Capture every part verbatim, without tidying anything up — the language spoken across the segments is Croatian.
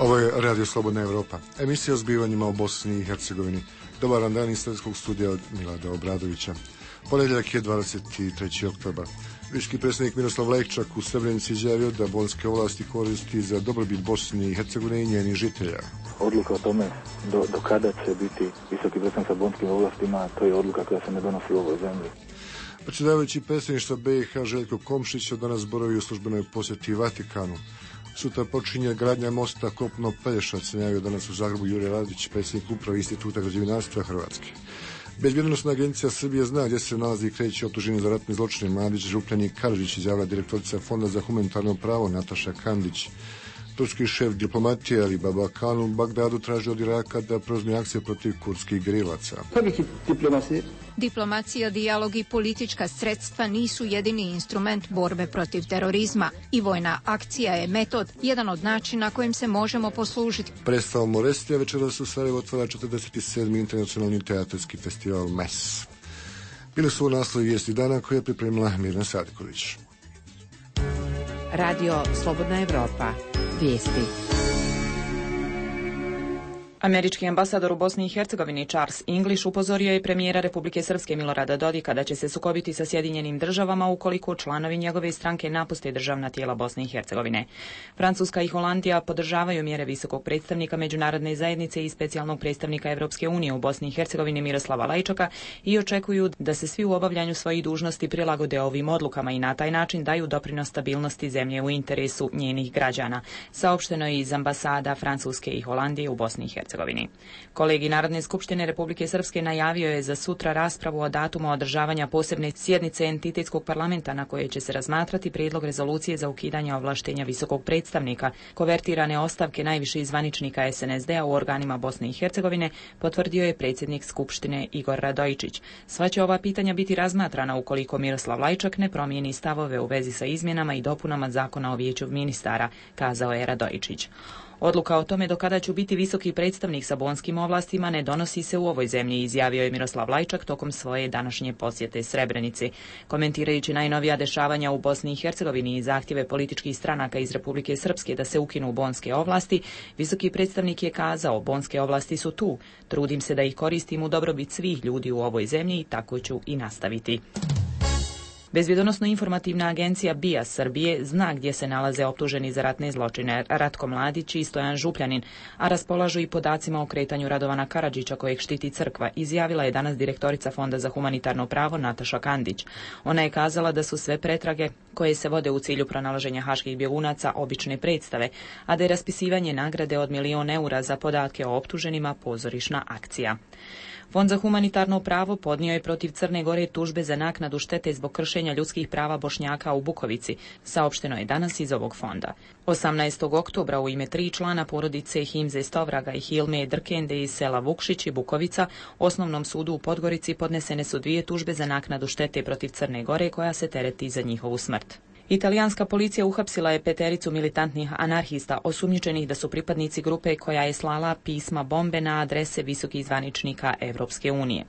Ovo je Radio Slobodna Evropa, emisija o zbivanjima u Bosni i Hercegovini. Dobar dan iz srpskog studija od Milada Obradovića. Ponedjeljak je dvadeset treći oktobar. Viški predsjednik Miroslav Lajčak u Srebrenici izjavio da bonske ovlasti koristi za dobrobit Bosne i Hercegovine i njenih žitelja. Odluka o tome do, do kada će biti visoki predstavnik sa bonskim ovlastima, to je odluka koja se ne donosi u ovoj zemlji. Predsjedavajući predsjedništva B i H Željko Komšić od danas boravi u službenoj posjeti Vatikanu. Sutra počinje gradnja mosta Kopno-Pelješac, najavio danas u Zagrebu Jure Radić, predsjednik uprave Instituta građevinarstva Hrvatske. Bezbjednosna agencija Srbije zna gdje se nalazi i kreće optuženi za ratne zločine Mladić, Župljan i Karadžić, izjavila direktorica Fonda za humanitarno pravo Nataša Kandić. Turski šef diplomatije Ali Babakan u Bagdadu traži od Iraka da preuzme akcije protiv kurdskih gerilaca. Diplomacija, dijalog i politička sredstva nisu jedini instrument borbe protiv terorizma i vojna akcija je metod, jedan od načina kojim se možemo poslužiti. Predstava Morestija večeras u Sarajevu otvara četrdeset sedmi internacionalni teatarski festival M E S. Bili su u naslovi vijesti dana koje je pripremila Mirna Sadiković. Radio Slobodna Evropa. Vijesti. Američki ambasador u Bosni i Hercegovini Charles English upozorio je premijera Republike Srpske Milorada Dodika da će se sukobiti sa Sjedinjenim državama ukoliko članovi njegove stranke napuste državna tijela Bosne i Hercegovine. Francuska i Holandija podržavaju mjere visokog predstavnika međunarodne zajednice i specijalnog predstavnika Evropske unije u Bosni i Hercegovini Miroslava Lajčaka i očekuju da se svi u obavljanju svojih dužnosti prilagode ovim odlukama i na taj način daju doprinos stabilnosti zemlje u interesu njenih građana, saopšteno je iz ambasada Francuske i Holandije u Bosni i Hercegovini. Kolegi Narodne skupštine Republike Srpske najavio je za sutra raspravu o datumu održavanja posebne sjednice entitetskog parlamenta na koje će se razmatrati prijedlog rezolucije za ukidanje ovlaštenja visokog predstavnika. Konvertirane ostavke najviših zvaničnika S N S D-a u organima Bosne i Hercegovine potvrdio je predsjednik Skupštine Igor Radojičić. Sva će ova pitanja biti razmatrana ukoliko Miroslav Lajčak ne promijeni stavove u vezi sa izmjenama i dopunama zakona o vijeću ministara, kazao je Radojičić. Odluka o tome do kada će biti visoki predstavnik sa bonskim ovlastima ne donosi se u ovoj zemlji, izjavio je Miroslav Lajčak tokom svoje današnje posjete Srebrenici. Komentirajući najnovija dešavanja u Bosni i Hercegovini i zahtjeve političkih stranaka iz Republike Srpske da se ukinu bonske ovlasti, visoki predstavnik je kazao: bonske ovlasti su tu, trudim se da ih koristim u dobrobit svih ljudi u ovoj zemlji i tako ću i nastaviti. Bezbjedonosno-informativna agencija B I A Srbije zna gdje se nalaze optuženi za ratne zločine Ratko Mladić i Stojan Župljanin, a raspolažu i podacima o kretanju Radovana Karadžića kojeg štiti crkva, izjavila je danas direktorica Fonda za humanitarno pravo Nataša Kandić. Ona je kazala da su sve pretrage koje se vode u cilju pronalaženja haških bjegunaca obične predstave, a da je raspisivanje nagrade od milion eura za podatke o optuženima pozorišna akcija. Fond za humanitarno pravo podnio je protiv Crne Gore tužbe za naknadu štete zbog kršenja ljudskih prava Bošnjaka u Bukovici, saopšteno je danas iz ovog fonda. osamnaestog oktobra u ime tri člana porodice Himze Stovraga i Hilme Drkende iz sela Vukšić i Bukovica Osnovnom sudu u Podgorici podnesene su dvije tužbe za naknadu štete protiv Crne Gore koja se tereti za njihovu smrt. Italijanska policija uhapsila je petericu militantnih anarhista osumnjičenih da su pripadnici grupe koja je slala pisma bombe na adrese visokih zvaničnika Evropske unije.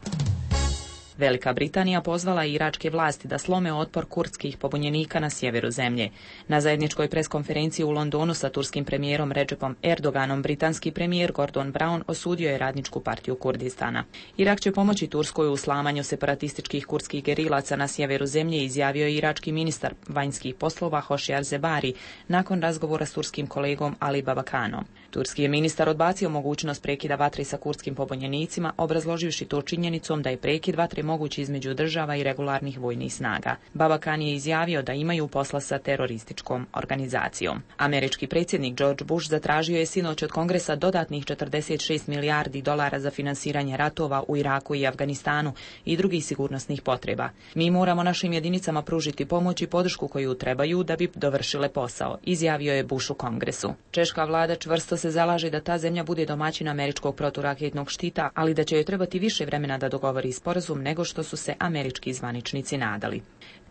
Velika Britanija pozvala iračke vlasti da slome otpor kurdskih pobunjenika na sjeveru zemlje. Na zajedničkoj preskonferenciji u Londonu sa turskim premijerom Recepom Erdoganom, britanski premijer Gordon Brown osudio je radničku partiju Kurdistana. Irak će pomoći Turskoj u slamanju separatističkih kurdskih gerilaca na sjeveru zemlje, izjavio je irački ministar vanjskih poslova Hošiar Zebari nakon razgovora s turskim kolegom Ali Babakanom. Turski je ministar odbacio mogućnost prekida vatre sa kurdskim pobunjenicima, obrazloživši to činjenicom da je prekid vatre mogući između država i regularnih vojnih snaga. Babakan je izjavio da imaju posla sa terorističkom organizacijom. Američki predsjednik George Bush zatražio je sinoć od Kongresa dodatnih četrdeset šest milijardi dolara za finansiranje ratova u Iraku i Afganistanu i drugih sigurnosnih potreba. Mi moramo našim jedinicama pružiti pomoć i podršku koju trebaju da bi dovršile posao, izjavio je Bush u Kongresu. Češka vlada čvrsto se zalaže da ta zemlja bude domaćin američkog proturaketnog štita, ali da će joj trebati više vremena da dogovori sporazum nego nego što su se američki zvaničnici nadali.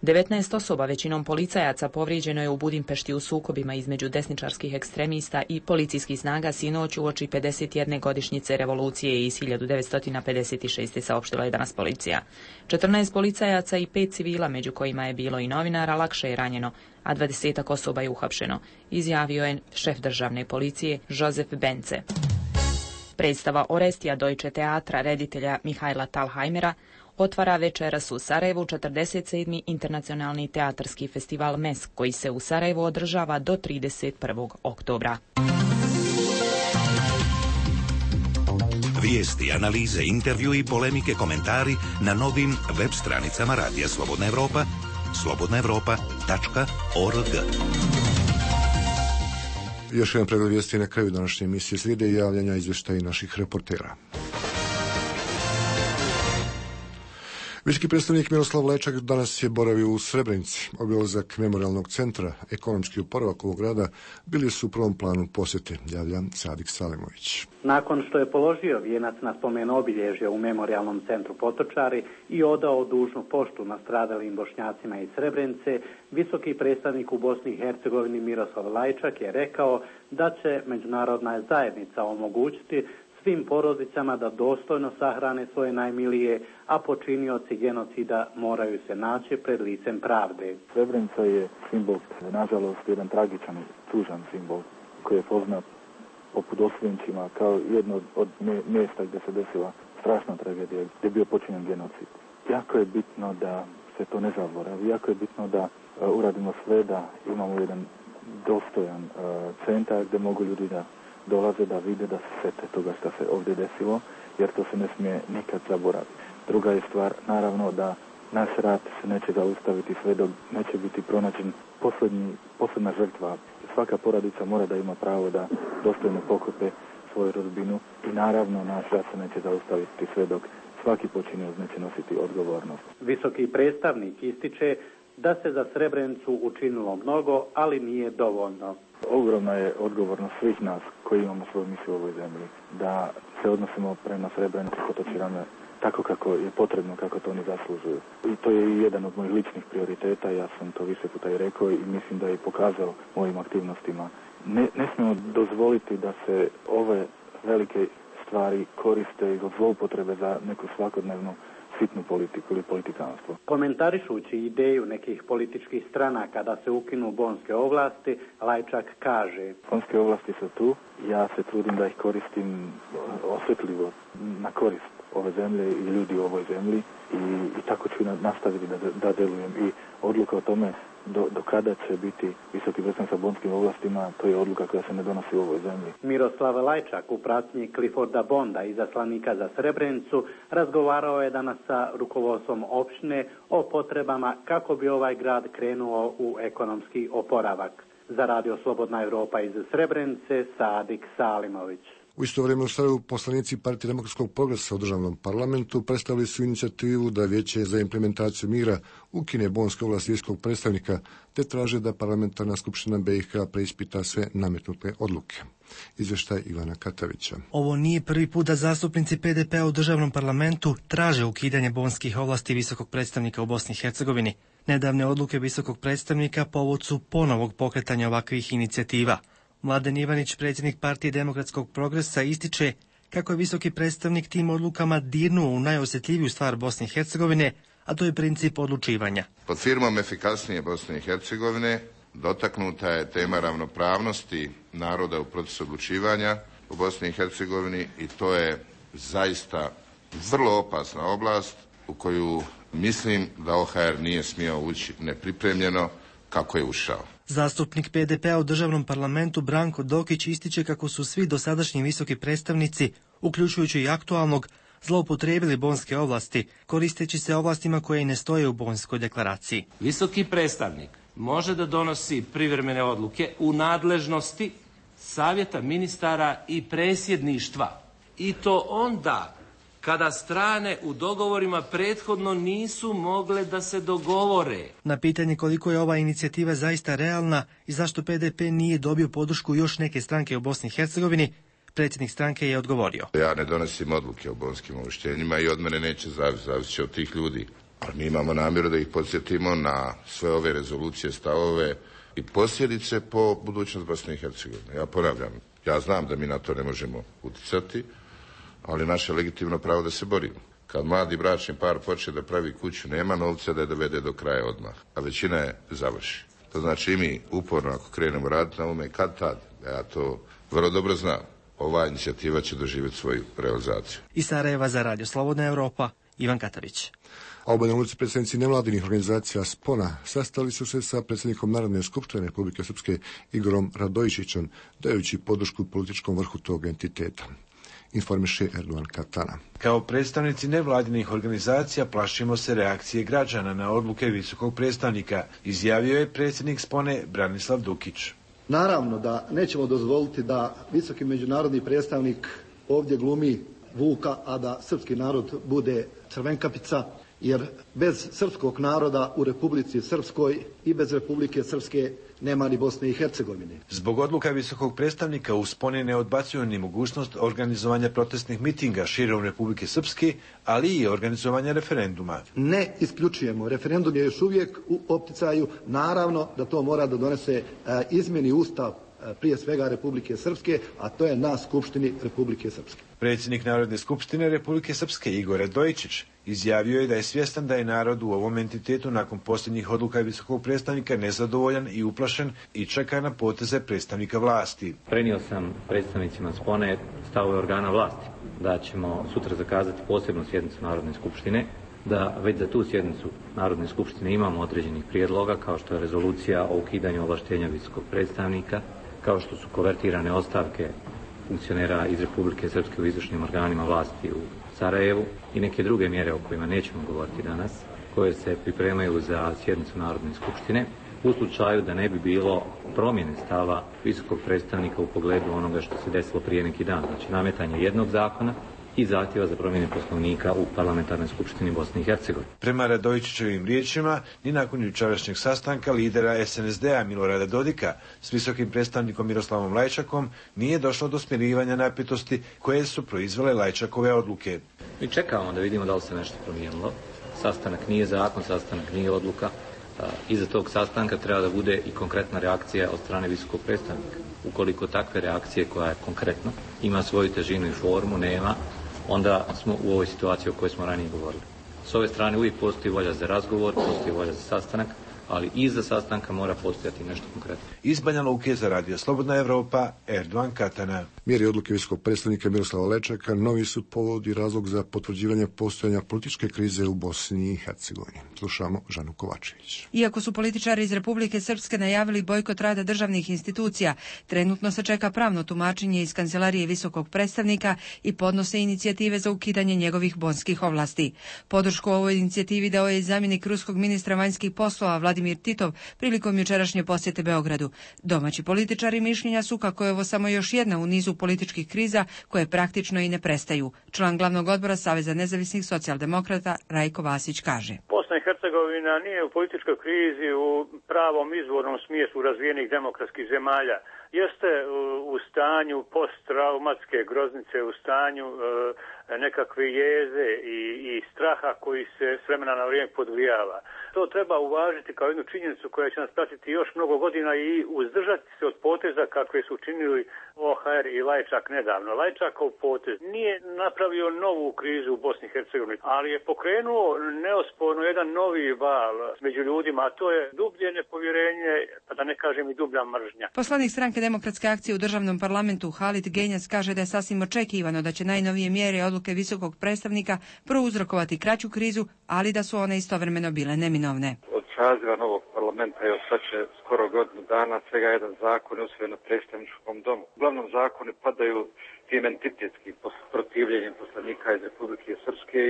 devetnaest osoba, većinom policajaca, povrijeđeno je u Budimpešti u sukobima između desničarskih ekstremista i policijskih snaga sinoć uoči pedeset jedne godišnjice revolucije iz hiljadu devetsto pedeset šeste. saopštila je danas policija. četrnaest policajaca i pet civila, među kojima je bilo i novinara, lakše je ranjeno, a dvadesetak osoba je uhapšeno, izjavio je šef državne policije Josef Bence. Predstava Orestija Deutsche Teatra reditelja Mihajla Talhajmera otvara večeras u Sarajevu četrdeset sedmi internacionalni teatarski festival M E S, koji se u Sarajevu održava do trideset prvog oktobra. Vijesti, analize, intervju i polemike, komentari na novim web stranicama Radija Slobodna Evropa, slobodna evropa tačka org. Još jedan pregled vijesti na kraju današnje emisije, slijede i javljanja izvještaja naših reportera. Visoki predstavnik Miroslav Lajčak danas je boravio u Srebrenici. Obilazak memorialnog centra, ekonomski oporavak ovog grada bili su u prvom planu posjete, javlja Sadik Salimović. Nakon što je položio vijenac na spomen obilježja u memorialnom centru Potočari i odao dužnu poštu nastradalim Bošnjacima iz Srebrenice, visoki predstavnik u Bosni i Hercegovini Miroslav Lajčak je rekao da će međunarodna zajednica omogućiti svim porodicama da dostojno sahrane svoje najmilije, a počinioci genocida moraju se naći pred licem pravde. Srebrenica je simbol, nažalost, jedan tragičan, tužan simbol koji je poznat poput Osvjenčima kao jedno od mjesta gdje se desila strašna tragedija, gdje je bio počinjen genocid. Jako je bitno da se to ne zaboravi, jako je bitno da uh, uradimo sve da imamo jedan dostojan uh, centar gdje mogu ljudi da dolaze, da vide, da se sete toga što se ovdje desilo, jer to se ne smije nikad zaboraviti. Druga je stvar, naravno, da naš rat se neće zaustaviti sve dok neće biti pronađen posljednji, posljedna žrtva. Svaka porodica mora da ima pravo da dostojno pokope svoju rodbinu i naravno naš rat se neće zaustaviti sve dok svaki počinioc neće nositi odgovornost. Visoki predstavnik ističe da se za Srebrenicu učinilo mnogo, ali nije dovoljno. Ogromna je odgovornost svih nas koji imamo svoju misiju u ovoj zemlji, da se odnosimo prema Srebrenici Potočarama tako kako je potrebno, kako to oni zaslužuju. I to je i jedan od mojih ličnih prioriteta, ja sam to više puta i rekao i mislim da je pokazao mojim aktivnostima. Ne, ne smijemo dozvoliti da se ove velike stvari koriste od zloupotrebe za neku svakodnevnu sitnu politiku ili politikanstvo. Komentarišući ideju nekih političkih stranaka da se ukinu bonske ovlasti, Lajčak kaže: Bonske ovlasti su tu, ja se trudim da ih koristim osjetljivo na korist ove zemlje i ljudi u ovoj zemlji i, i tako ću nastaviti da, da delujem. I odluka o tome do, do kada će biti visoki predstavnik sa bonskim ovlastima, to je odluka koja se ne donosi u ovoj zemlji. Miroslav Lajčak u pratnji Clifforda Bonda, izaslanika za Srebrenicu, razgovarao je danas sa rukovodstvom opštine o potrebama kako bi ovaj grad krenuo u ekonomski oporavak. Za Radio Slobodna Evropa iz Srebrenice, Sadik Salimović. U isto vrijeme u Sarajevu poslanici Partije demokratskog progresa u državnom parlamentu predstavili su inicijativu da Vijeće za implementaciju mira ukine bonske ovlasti viskog predstavnika, te traže da parlamentarna skupština B i H preispita sve nametnute odluke. Izvještaj Ivana Katavića. Ovo nije prvi put da zastupnici P D P-a u državnom parlamentu traže ukidanje bonskih ovlasti visokog predstavnika u Bosni i Hercegovini. Nedavne odluke visokog predstavnika povod su ponovog pokretanja ovakvih inicijativa. Mladen Ivanić, predsjednik Partije demokratskog progresa, ističe kako je visoki predstavnik tim odlukama dirnuo u najosjetljiviju stvar Bosne i Hercegovine, a to je princip odlučivanja. Pod firmom efikasnije Bosne i Hercegovine dotaknuta je tema ravnopravnosti naroda u procesu odlučivanja u Bosni i Hercegovini i to je zaista vrlo opasna oblast u koju mislim da O H R nije smio ući nepripremljeno kako je ušao. Zastupnik P D P-a u državnom parlamentu Branko Dokić ističe kako su svi dosadašnji visoki predstavnici, uključujući i aktualnog, zloupotrijebili bonske ovlasti, koristeći se ovlastima koje i ne stoje u bonskoj deklaraciji. Visoki predstavnik može da donosi privremene odluke u nadležnosti savjeta ministara i predsjedništva. I to onda kada strane u dogovorima prethodno nisu mogle da se dogovore. Na pitanje koliko je ova inicijativa zaista realna i zašto P D P nije dobio podršku još neke stranke u Bosni i Hercegovini, Predsjednik stranke je odgovorio. Ja ne donosim odluke o bonskim uvrštenjima i od mene neće zavisiti, zavisit će od tih ljudi. Ali mi imamo namjeru da ih podsjetimo na sve ove rezolucije, stavove i posljedice po budućnost Bosne i Hercegovine. Ja ponavljam, ja znam da mi na to ne možemo utjecati, ali naše legitimno pravo da se borimo. Kad mladi bračni par počne da pravi kuću, nema novca da je dovede do kraja odmah, a većina je završi. To znači i mi uporno ako krenemo raditi na ovome, kad tad, ja to vrlo dobro znam, ova inicijativa će doživjeti svoju realizaciju. Iz Sarajeva za Radio Slobodna Evropa, Ivan Katavić. A u Banja Luci predstavnici nevladinih organizacija Spona sastali su se sa predsjednikom Narodne skupštine Republike Srpske Igorom Radojičićem, dajući podršku političkom vrhu tog entiteta. Informiše Erdogan Katana. Kao predstavnici nevladinih organizacija plašimo se reakcije građana na odluke visokog predstavnika, izjavio je predsjednik Spone Branislav Dukić. Naravno da nećemo dozvoliti da visoki međunarodni predstavnik ovdje glumi Vuka, a da srpski narod bude Crvenkapica, jer bez srpskog naroda u Republici Srpskoj i bez Republike Srpske nema ni Bosne i Hercegovine. Zbog odluka visokog predstavnika u Sponi ne odbacuju ni mogućnost organizovanja protestnih mitinga širom Republike Srpske, ali i organizovanja referenduma. Ne isključujemo. Referendum je još uvijek u opticaju. Naravno da to mora da donese e, izmjeni Ustav e, prije svega Republike Srpske, a to je na Skupštini Republike Srpske. Predsjednik Narodne skupštine Republike Srpske Igor Radojičić izjavio je da je svjestan da je narod u ovom entitetu nakon posljednjih odluka visokog predstavnika nezadovoljan i uplašen i čeka na poteze predstavnika vlasti. Prenio sam predstavnicima Spone stavove organa vlasti da ćemo sutra zakazati posebnu sjednicu Narodne skupštine, da već za tu sjednicu Narodne skupštine imamo određenih prijedloga kao što je rezolucija o ukidanju ovlaštenja visokog predstavnika, kao što su konvertirane ostavke funkcionera iz Republike Srpske u izvršnim organima vlasti u Sarajevu i neke druge mjere o kojima nećemo govoriti danas, koje se pripremaju za sjednicu Narodne skupštine, u slučaju da ne bi bilo promjene stava visokog predstavnika u pogledu onoga što se desilo prije neki dan, znači nametanje jednog zakona i zahtjeva za promjene poslovnika u Parlamentarnoj skupštini Bosne i Hercegovine. Prema Radojičićevim riječima, ni nakon jučerašnjeg sastanka lidera es en es de-a Milorada Dodika s visokim predstavnikom Miroslavom Lajčakom nije došlo do smirivanja napetosti koje su proizvele Lajčakove odluke. Mi čekamo da vidimo da li se nešto promijenilo. Sastanak nije zakon, sastanak nije odluka. Iza tog sastanka treba da bude i konkretna reakcija od strane visokog predstavnika. Ukoliko takve reakcije koja je konkretna, ima svoju težinu i formu, nema, onda smo u ovoj situaciji o kojoj smo ranije govorili. S ove strane uvijek postoji volja za razgovor, postoji volja za sastanak, ali iza sastanka mora postojati nešto konkretno. Iz Banja Luke za Radio Slobodna Evropa, Erdogan Katana. Mjeri odluke visokog predstavnika Miroslava Lajčaka novi su povod i razlog za potvrđivanje postojanja političke krize u Bosni i Hercegovini. Slušamo Žanu Kovačević. Iako su političari iz Republike Srpske najavili bojkot rada državnih institucija, trenutno se čeka pravno tumačenje iz kancelarije visokog predstavnika i podnose inicijative za ukidanje njegovih bonskih ovlasti. Podršku ovoj inicijativi dao je zamjenik ruskog ministra vanjskih poslova Vladimir Titov prilikom jučerašnje posjete Beogradu. Domaći političari mišljenja su kako je ovo samo još jedna u nizu političkih kriza koje praktično i ne prestaju. Član glavnog odbora Saveza nezavisnih socijaldemokrata Rajko Vasić kaže: Bosna i Hercegovina nije u političkoj krizi u pravom izvornom smislu razvijenih demokratskih zemalja. Jeste u stanju posttraumatske groznice, u stanju e, nekakve jeze i, i straha koji se s vremena na vrijeme podgrijava. To treba uvažiti kao jednu činjenicu koja će nas pratiti još mnogo godina i uzdržati se od poteza kakve su učinili o ha er i Lajčak nedavno. Lajčakov potez nije napravio novu krizu u Bosni i Hercegovini, ali je pokrenuo neosporno jedan novi val među ljudima, a to je dublje nepovjerenje, pa da ne kažem i dublja mržnja. Poslanik stranke Demokratske akcije u državnom parlamentu Halid Genjac kaže da je sasvim očekivano da će najnovije mjere i odluke visokog predstavnika prouzrokovati kraću krizu, ali da su one istovremeno bile neminovne. Od saziva novog parlamenta je sad će skoro godinu dana svega jedan zakon je usvojen na predstavničkom domu. Uglavnom zakoni padaju tim entitetskim protivljenjem poslanika iz Republike Srpske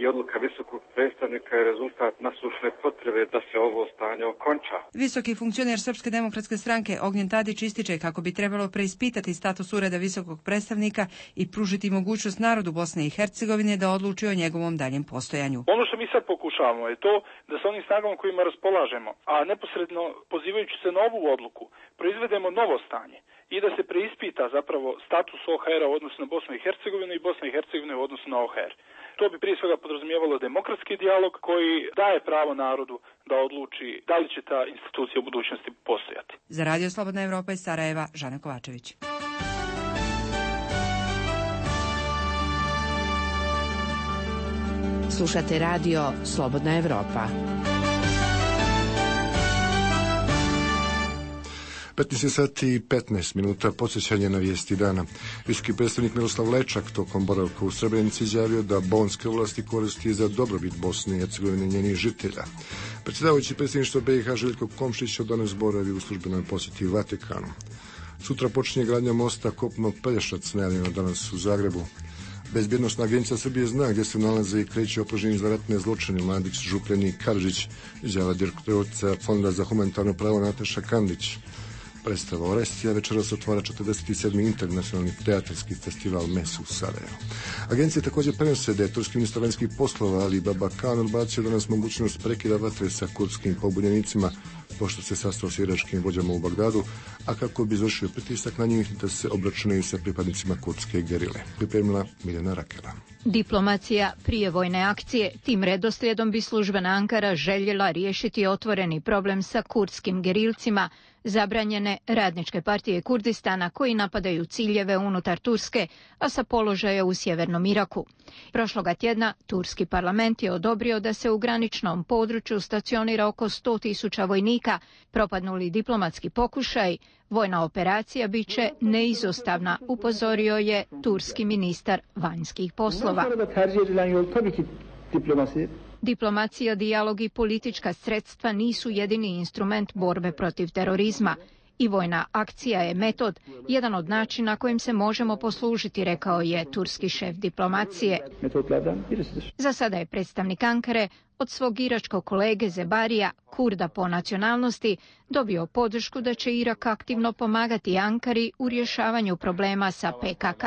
i odluka visokog predstavnika je rezultat nasušne potrebe da se ovo stanje okonča. Visoki funkcioner Srpske demokratske stranke Ognjen Tadić ističe kako bi trebalo preispitati status ureda visokog predstavnika i pružiti mogućnost narodu Bosne i Hercegovine da odluči o njegovom daljem postojanju. Ono što mi sad pokušamo pokušavamo je to da sa onim snagama kojima raspolažemo, a neposredno pozivajući se na ovu odluku, proizvedemo novo stanje i da se preispita zapravo status O H R-a u odnosu na Bosnu i Hercegovinu i Bosne i Hercegovine u odnosu na O H R. To bi prije svega podrazumijevalo demokratski dijalog koji daje pravo narodu da odluči da li će ta institucija u budućnosti postojati. Za Radio Slobodna Evropa iz Sarajeva, Žana Kovačević. Slušate radio Slobodna Evropa. petnaest sati i petnaest minuta, podsjećanje na vijesti dana. Visoki predstavnik Miroslav Lečak tokom boravka u Srebrenici izjavio da bonske ovlasti koristi za dobrobit Bosne i Hercegovine i njenih žitelja. Predsjedavajući predsjedništva B i H Željko Komšić danas boravi u službenoj posjeti Vatikanu. Sutra počinje gradnja mosta Kopno-Pelješac, najavljeno danas u Zagrebu. Bezbjednostna agencija Srbije zna gdje se nalaze i kreće optuženi za ratne zločine Mladić, Župljani i Karadžić, izjava direktorica Fonda za humanitarno pravo Nataša Kandić. Predstava Orestija večeras otvara četrdeset sedmi internacionalni teatarski festival Mes u Sarajevu. Agencije također prenose da je turski ministar vanjskih poslova Ali Babakan odbacio danas mogućnost prekida vatre sa kurdskim pobunjenicima pošto se sastao s iračkim vođama u Bagdadu, a kako bi izvršio pritisak na njih da se obračunaju sa pripadnicima kurdske gerile. Pripremila Miljana Rakela. Diplomacija prije vojne akcije. Tim redoslijedom bi službena Ankara željela riješiti otvoreni problem sa kurdskim gerilcima, zabranjene radničke partije Kurdistana koji napadaju ciljeve unutar Turske, a sa položaja u sjevernom Iraku. Prošloga tjedna turski parlament je odobrio da se u graničnom području stacionira oko sto tisuća vojnika. Propadnuli diplomatski pokušaj, vojna operacija bit će neizostavna, upozorio je turski ministar vanjskih poslova. Diplomacija, dijalog i politička sredstva nisu jedini instrument borbe protiv terorizma. I vojna akcija je metod, jedan od načina kojim se možemo poslužiti, rekao je turski šef diplomacije. Za sada je predstavnik Ankare od svog iračkog kolege Zebarija, Kurda po nacionalnosti, dobio podršku da će Irak aktivno pomagati Ankari u rješavanju problema sa P K K.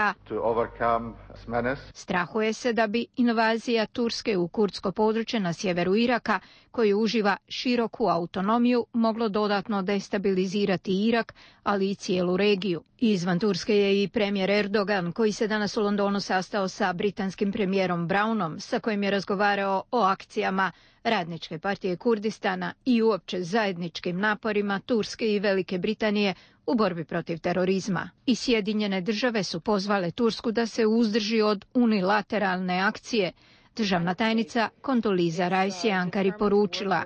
Strahuje se da bi invazija Turske u kurdsko područje na sjeveru Iraka, koji uživa široku autonomiju, moglo dodatno destabilizirati Irak, ali i cijelu regiju. Izvan Turske je i premijer Erdogan, koji se danas u Londonu sastao sa britanskim premijerom Brownom, sa kojim je razgovarao o akcijama Radničke partije Kurdistana i uopće zajedničkim naporima Turske i Velike Britanije u borbi protiv terorizma. I Sjedinjene države su pozvale Tursku da se uzdrži od unilateralne akcije. Državna tajnica Kondoliza Rice je Ankari poručila: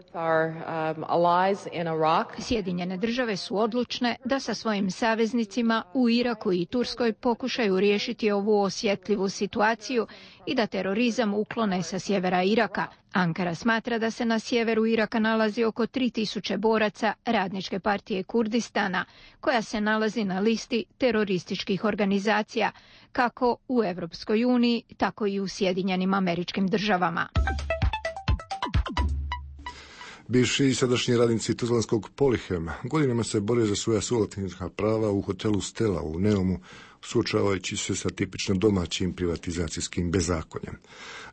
Sjedinjene države su odlučne da sa svojim saveznicima u Iraku i Turskoj pokušaju riješiti ovu osjetljivu situaciju i da terorizam uklone sa sjevera Iraka. Ankara smatra da se na sjeveru Iraka nalazi oko tri tisuće boraca Radničke partije Kurdistana, koja se nalazi na listi terorističkih organizacija, kako u Europskoj uniji, tako i u Sjedinjenim Američkim Državama. Bivši i sadašnji radnici tuzlanskog Polihema godinama se bore za svoja suvlasnička prava u hotelu Stella u Neumu, suočavajući se sa tipično domaćim privatizacijskim bezakonjem.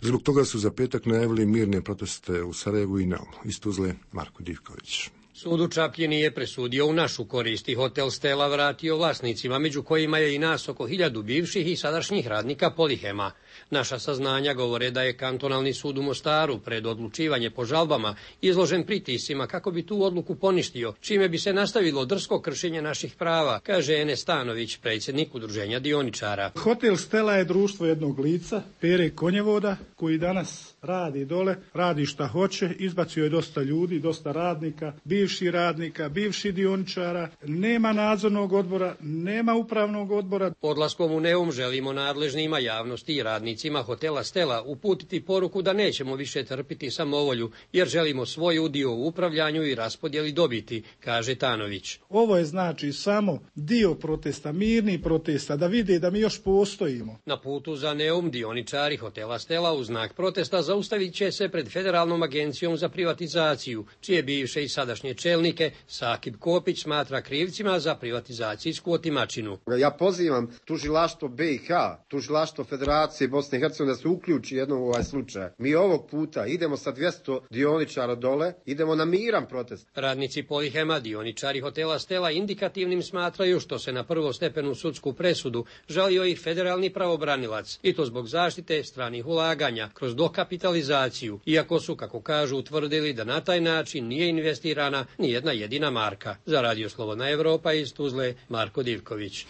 Zbog toga su za petak najavili mirne proteste u Sarajevu i Neumu. Iz Tuzle, Marko Divković. Sud u Čapljini je presudio u našu korist i hotel Stella vratio vlasnicima, među kojima je i nas oko hiljadu bivših i sadašnjih radnika Polihema. Naša saznanja govore da je kantonalni sud u Mostaru pred odlučivanje po žalbama izložen pritiscima kako bi tu odluku poništio, čime bi se nastavilo drsko kršenje naših prava, kaže Enes Stanović, predsjednik udruženja dioničara. Hotel Stella je društvo jednog lica, Pere Konjevoda, koji danas radi dole, radi šta hoće, izbacio je dosta ljudi, dosta radnika, bivših radnika, bivših dioničara, nema nadzornog odbora, nema upravnog odbora. Odlaskom u Neum želimo nadležnima, javnosti i radnicima hotela Stella uputiti poruku da nećemo više trpiti samovolju, jer želimo svoj udio u upravljanju i raspodjeli dobiti, kaže Tanović. Ovo je znači samo dio protesta, mirni protesta, da vide da mi još postojimo. Na putu za Neum dioničari hotela Stella u znak protesta zaustavit će se pred Federalnom agencijom za privatizaciju, čije bivše i sadašnje čelnike Sakib Kopić smatra krivcima za privatizacijsku otimačinu. Ja pozivam tužilaštvo B i H, tužilaštvo Federacije Bosne i Hercegovine da se uključi jednom u ovaj slučaj. Mi ovog puta idemo sa dvjesto dioničara dole, idemo na miran protest. Radnici Polihema, dioničari hotela Stela indikativnim smatraju što se na prvostepenu sudsku presudu žalio i federalni pravobranilac, i to zbog zaštite stranih ulaganja kroz dokapitalizaciju, iako su, kako kažu, utvrdili da na taj način nije investirana ni jedna jedina marka. Za Radio Slobodna Evropa iz Tuzle, Marko Divković.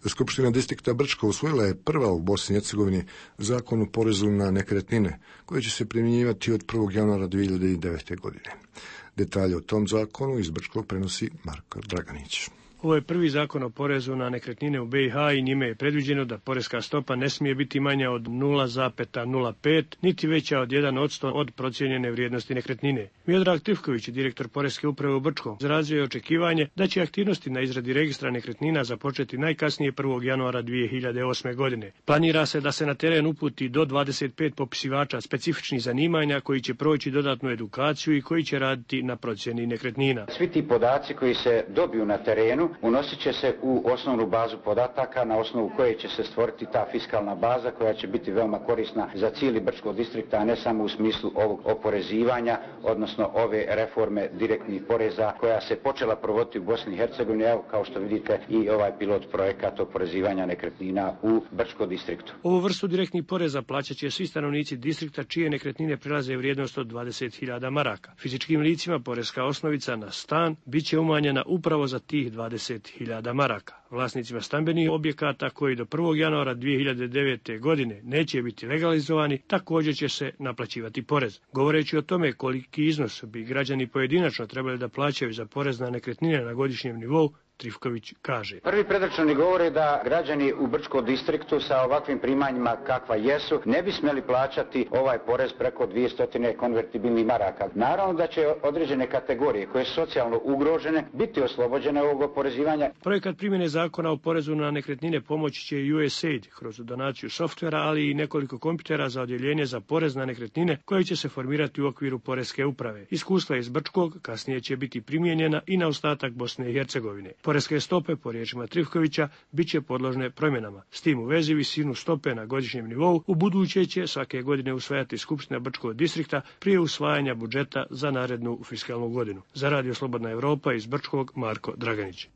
Skupština distrikta Brčko usvojila je prva u Bosni i Hercegovini zakon o porezu na nekretnine, koji će se primjenjivati od prvog januara dvije hiljade devete. godine. Detalje o tom zakonu iz Brčkog prenosi Marko Draganić. Ovo je prvi zakon o porezu na nekretnine u B i H i njime je predviđeno da poreska stopa ne smije biti manja od nula zarez nula pet, niti veća od jedan posto od procijenjene vrijednosti nekretnine. Miodrag Trifković, direktor Poreske uprave u Brčkom, izrazio je očekivanje da će aktivnosti na izradi registra nekretnina započeti najkasnije prvog januara dvije hiljade osme. godine. Planira se da se na teren uputi do dvadeset pet popisivača specifičnih zanimanja koji će proći dodatnu edukaciju i koji će raditi na procjeni nekretnina. Svi ti podaci koji se dobiju na terenu unosit će se u osnovnu bazu podataka na osnovu koje će se stvoriti ta fiskalna baza koja će biti veoma korisna za cijeli Brčkog distrikta, a ne samo u smislu ovog oporezivanja, odnosno ove reforme direktnih poreza koja se počela provoditi u Bosni i Hercegovini, evo kao što vidite i ovaj pilot projekat oporezivanja nekretnina u Brčkom distriktu. Ovu vrstu direktnih poreza plaćat će svi stanovnici distrikta čije nekretnine prelaze vrijednost od dvadeset hiljada maraka. Fizičkim licima poreska osnovica na stan bit će umanjena upravo za tih dvadeset hiljada maraka. Vlasnicima stambenih objekata koji do prvog januara dvije hiljade devete. godine neće biti legalizovani, također će se naplaćivati porez. Govoreći o tome koliki iznos bi građani pojedinačno trebali da plaćaju za porez na nekretnine na godišnjem nivou, Trifković kaže. Prvi predračuni govore da građani u Brčkom distriktu sa ovakvim primanjima kakva jesu ne bi smjeli plaćati ovaj porez preko dvjesto konvertibilnih maraka. Naravno da će određene kategorije koje su socijalno ugrožene biti oslobođene ovog oporezivanja. Projekat primjene zakona o porezu na nekretnine pomoći će i U S A I D kroz donaciju softvera, ali i nekoliko kompjutera za odjeljenje za porez na nekretnine koje će se formirati u okviru Poreske uprave. Iskustva iz Brčkog kasnije će biti primijenjena i na ostatak Bosne i Hercegovine. Poreske stope, po riječima Trifkovića, bit će podložne promjenama. S tim u vezi visinu stope na godišnjem nivou u buduće će svake godine usvajati Skupština Brčkog distrikta prije usvajanja budžeta za narednu fiskalnu godinu. Za Radio Slobodna Evropa iz Brčkog, Marko Draganić.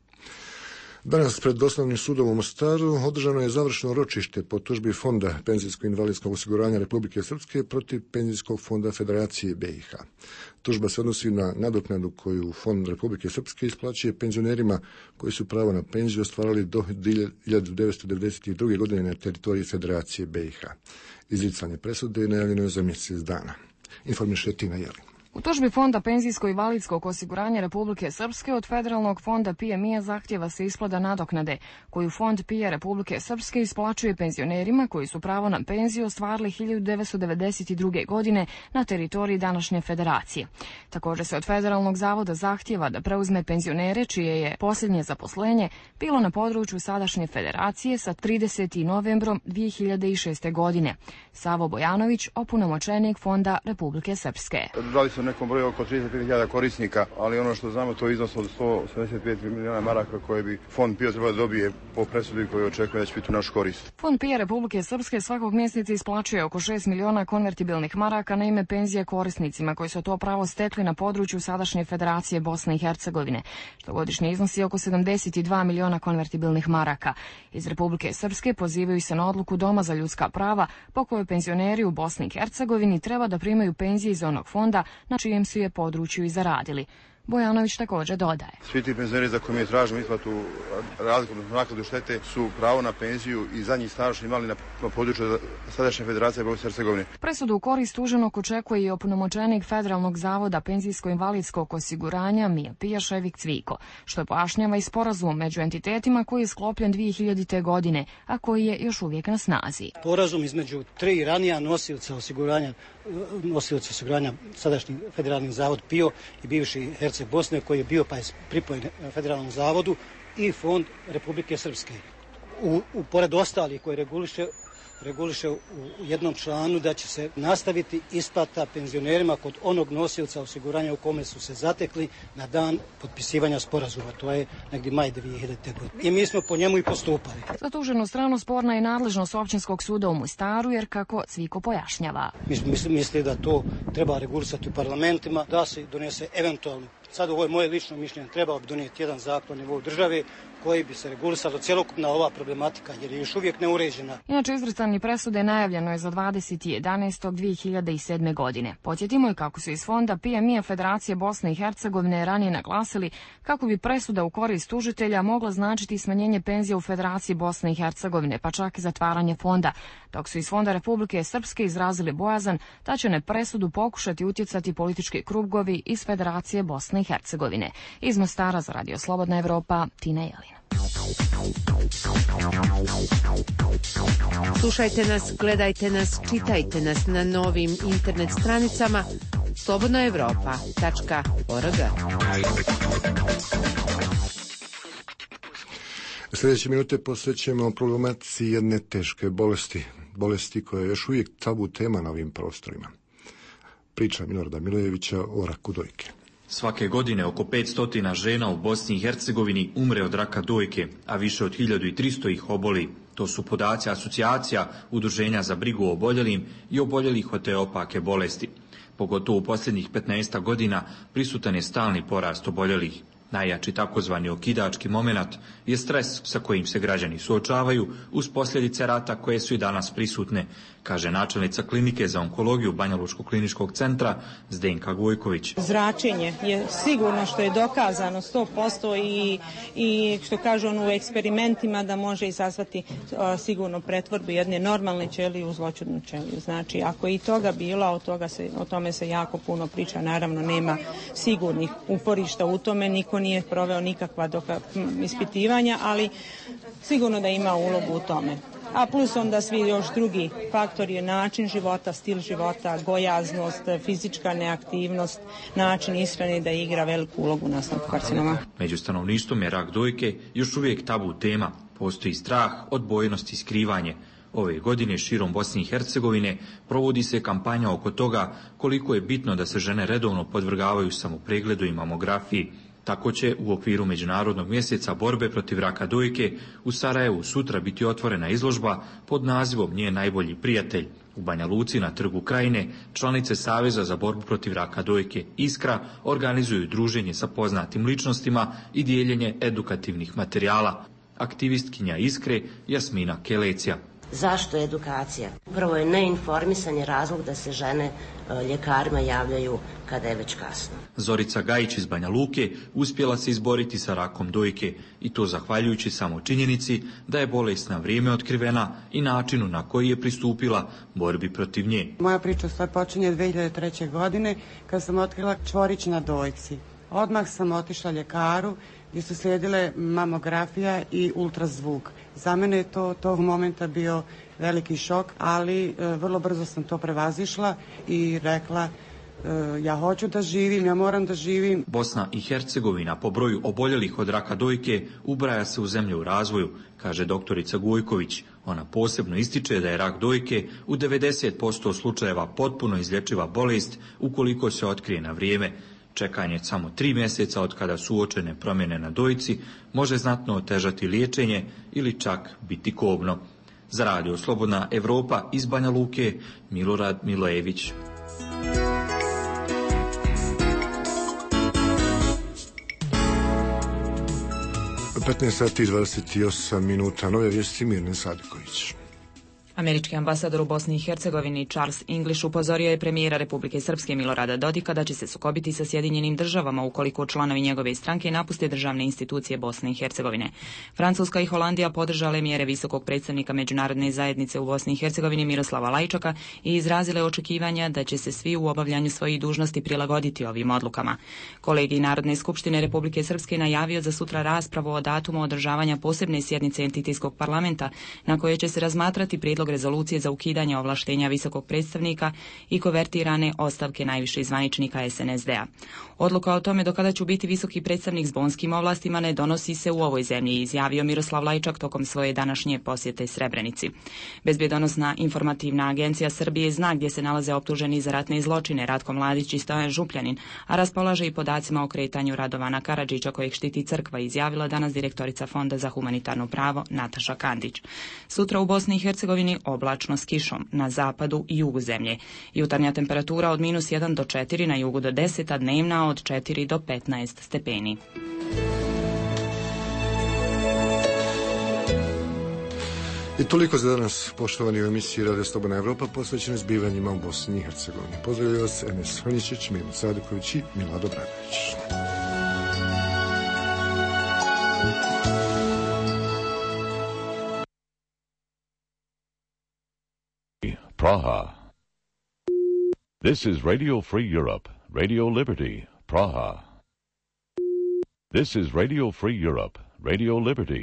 Danas pred Osnovnim sudom u Mostaru održano je završno ročište po tužbi Fonda penzijsko-invalidskog osiguranja Republike Srpske protiv Penzijskog fonda Federacije B i H. Tužba se odnosi na nadoknadu koju Fond Republike Srpske isplaćuje penzionerima koji su pravo na penziju ostvarili do hiljadu devetsto devedeset druge. godine na teritoriji Federacije B i H. Izricanje presude najavljeno je za mjesec dana. Informiše Tina Jelin. U tužbi Fonda penzijsko-invalidskog osiguranja Republike Srpske od Federalnog fonda P M I-a zahtjeva se isplata nadoknade, koju Fond P I A Republike Srpske isplaćuje penzionerima koji su pravo na penziju ostvarili hiljadu devetsto devedeset druge. godine na teritoriji današnje federacije. Također se od Federalnog zavoda zahtjeva da preuzme penzionere čije je posljednje zaposlenje bilo na području sadašnje federacije sa tridesetim novembrom dvije hiljade šeste. godine. Savo Bojanović, opunomoćenik Fonda Republike Srpske. U nekom broju oko trideset pet hiljada korisnika, ali ono što znamo to je iznos od sto osamdeset pet milijuna maraka koje bi Fond P I A trebao da dobije po presudi koju očekuje da će biti u našu korist. Fond P I A Republike Srpske svakog mjeseca isplaćuje oko šest miliona konvertibilnih maraka na ime penzije korisnicima koji su to pravo stekli na području sadašnje Federacije Bosne i Hercegovine, što godišnje iznosi oko sedamdeset dva miliona konvertibilnih maraka. Iz Republike Srpske pozivaju se na odluku Doma za ljudska prava po kojoj penzioneri u Bosni i Hercegovini treba da primaju penzije iz onog fonda na čijem su je području i zaradili. Bojanović također dodaje. Svi ti penzioneri za koje mi tražimo isplatu razliku naknadu štete su pravo na penziju i zadnji staž imali na području sadašnje Federacije Bosne i Hercegovine. Presudu u korist tuženog očekuje i opunomoćenik Federalnog zavoda penzijsko-invalidskog osiguranja M I A P I A Ševik Cviko, što pojašnjava i sporazum među entitetima koji je sklopljen dvije hiljadite. godine, a koji je još uvijek na snazi. Sporazum između tri ranija nosioca osiguranja, nosioca osiguranja sadašnji Federalni zavod P I O i bivši Herceg Bosne koji je bio pa je pripojen Federalnom zavodu i Fond Republike Srpske. U, u pored ostalih koji reguliše reguliše u jednom članu da će se nastaviti isplata penzionerima kod onog nosioca osiguranja u kome su se zatekli na dan potpisivanja sporazuma. To je negdje maj dvije hiljadite. godine. I mi smo po njemu i postupali. Za tuženu stranu sporna je nadležnost Općinskog suda u Mostaru, jer kako Cviko pojašnjava. Mi misli da to treba regulisati u parlamentima, da se donese eventualno. Sad ovo je moje lično mišljenje, trebao bi donijeti jedan zakon na nivou države koji bi se regulisalo cjelokupna ova problematika, jer je još uvijek neuređena. Inače, izricanje presude najavljeno je za dvadesetog jedanaestog dvije hiljade sedme. godine. Podsjetimo je kako su iz fonda P M I-a Federacije Bosne i Hercegovine ranije naglasili kako bi presuda u korist tužitelja mogla značiti smanjenje penzija u Federaciji Bosne i Hercegovine, pa čak i zatvaranje fonda, dok su iz fonda Republike Srpske izrazili bojazan da će na presudu pokušati utjecati politički krugovi iz Federacije Bosne i Hercegovine. Iz Mostara za Radio Slobodna Evropa, Tina Jelina. Slušajte nas, gledajte nas, čitajte nas na novim internet stranicama slobodna evropa tačka org. Sljedeće minute posvećujemo problematici jedne teške bolesti, bolesti koja je još uvijek tabu tema na ovim prostorima. Priča Milorada Milojevića o raku dojke. Svake godine oko petsto žena u Bosni i Hercegovini umre od raka dojke, a više od hiljadu tristo ih oboli. To su podaci asocijacija Udruženja za brigu o oboljelim i oboljelih od te opake bolesti. Pogotovo u posljednjih petnaest godina prisutan je stalni porast oboljelih. Najjači takozvani okidački momenat je stres sa kojim se građani suočavaju uz posljedice rata koje su i danas prisutne, kaže načelnica klinike za onkologiju Banjalučkog kliničkog centra Zdenka Gojković. Zračenje je sigurno, što je dokazano sto posto i, i što kažu on u eksperimentima, da može izazvati a, sigurno pretvorbu jedne normalne ćelije u zloćudnu ćeliju. Znači, ako je i toga bilo, od toga se, o tome se jako puno priča, naravno nema sigurnih uporišta u tome, niko nije proveo nikakva doka, ispitivanja, ali sigurno da ima ulogu u tome. A plus onda svi još drugi faktori je način života, stil života, gojaznost, fizička neaktivnost, način ishrane da igra veliku ulogu u nastanku karcinoma. Među stanovništvom je rak dojke još uvijek tabu tema. Postoji strah, odbojnost i skrivanje. Ove godine širom Bosne i Hercegovine provodi se kampanja oko toga koliko je bitno da se žene redovno podvrgavaju samopregledu i mamografiji. Tako će u okviru Međunarodnog mjeseca borbe protiv raka dojke u Sarajevu sutra biti otvorena izložba pod nazivom Njen najbolji prijatelj. U Banja Luci na Trgu Krajine članice Saveza za borbu protiv raka dojke Iskra organizuju druženje sa poznatim ličnostima i dijeljenje edukativnih materijala. Aktivistkinja Iskre Jasmina Kelecija. Zašto edukacija? Prvo je neinformisanje razlog da se žene ljekarima javljaju kada je već kasno. Zorica Gajić iz Banja Luke uspjela se izboriti sa rakom dojke i to zahvaljujući samo činjenici da je bolest na vrijeme otkrivena i načinu na koji je pristupila borbi protiv nje. Moja priča sve počinje dvije hiljade treće. godine kad sam otkrila čvorić na dojci. Odmah sam otišla ljekaru gdje su slijedile mamografija i ultrazvuk. Za mene je to tog momenta bio veliki šok, ali e, vrlo brzo sam to prevazišla i rekla e, ja hoću da živim, ja moram da živim. Bosna i Hercegovina po broju oboljelih od raka dojke ubraja se u zemlje u razvoju, kaže doktorica Gojković. Ona posebno ističe da je rak dojke u devedeset posto slučajeva potpuno izlječiva bolest ukoliko se otkrije na vrijeme. Čekanje samo tri mjeseca od kada su uočene promjene na dojci može znatno otežati liječenje ili čak biti kobno. Za Radio Slobodna Evropa iz Banja Luke, Milorad Milojević. petnaest sati i dvadeset osam minuta, nove vijesti Mirne Sadiković. Američki ambasador u Bosni i Hercegovini Charles English upozorio je premijera Republike Srpske Milorada Dodika da će se sukobiti sa Sjedinjenim državama ukoliko članovi njegove stranke napuste državne institucije Bosne i Hercegovine. Francuska i Holandija podržale mjere visokog predstavnika međunarodne zajednice u Bosni i Hercegovini Miroslava Lajčaka i izrazile očekivanja da će se svi u obavljanju svojih dužnosti prilagoditi ovim odlukama. Kolegij Narodne skupštine Republike Srpske najavio za sutra raspravu o datumu održavanja posebne sjednice entitijskog parlamenta na kojoj će se razmatrati prijedlog prijedlog rezolucije za ukidanje ovlaštenja visokog predstavnika i kovertirane ostavke najviših zvaničnika es en es de a. Odluka o tome do kada će biti visoki predstavnik s bonskim ovlastima ne donosi se u ovoj zemlji, izjavio Miroslav Lajčak tokom svoje današnje posjete Srebrenici. Bezbjedonosna informativna agencija Srbije zna gdje se nalaze optuženi za ratne zločine Ratko Mladić i Stojan Župljanin, a raspolaže i podacima o kretanju Radovana Karadžića kojeg štiti crkva, izjavila danas direktorica Fonda za humanitarno pravo Nataša Kandić. Sutra u Bosni i Hercegovini oblačno s kišom, na zapadu i jugu zemlje. Jutarnja temperatura od minus jedan do četiri, na jugu do deset, a dnevna od četiri do petnaest stepeni. I toliko za danas, poštovani u emisiji Radio Slobodna Evropa, posvećene zbivanjima u Bosni i Hercegovini. Pozdravljaju vas Enes Hrničić, Milo Saduković i Milado Bradović. Praha. This is Radio Free Europe, Radio Liberty, Praha. This is Radio Free Europe, Radio Liberty.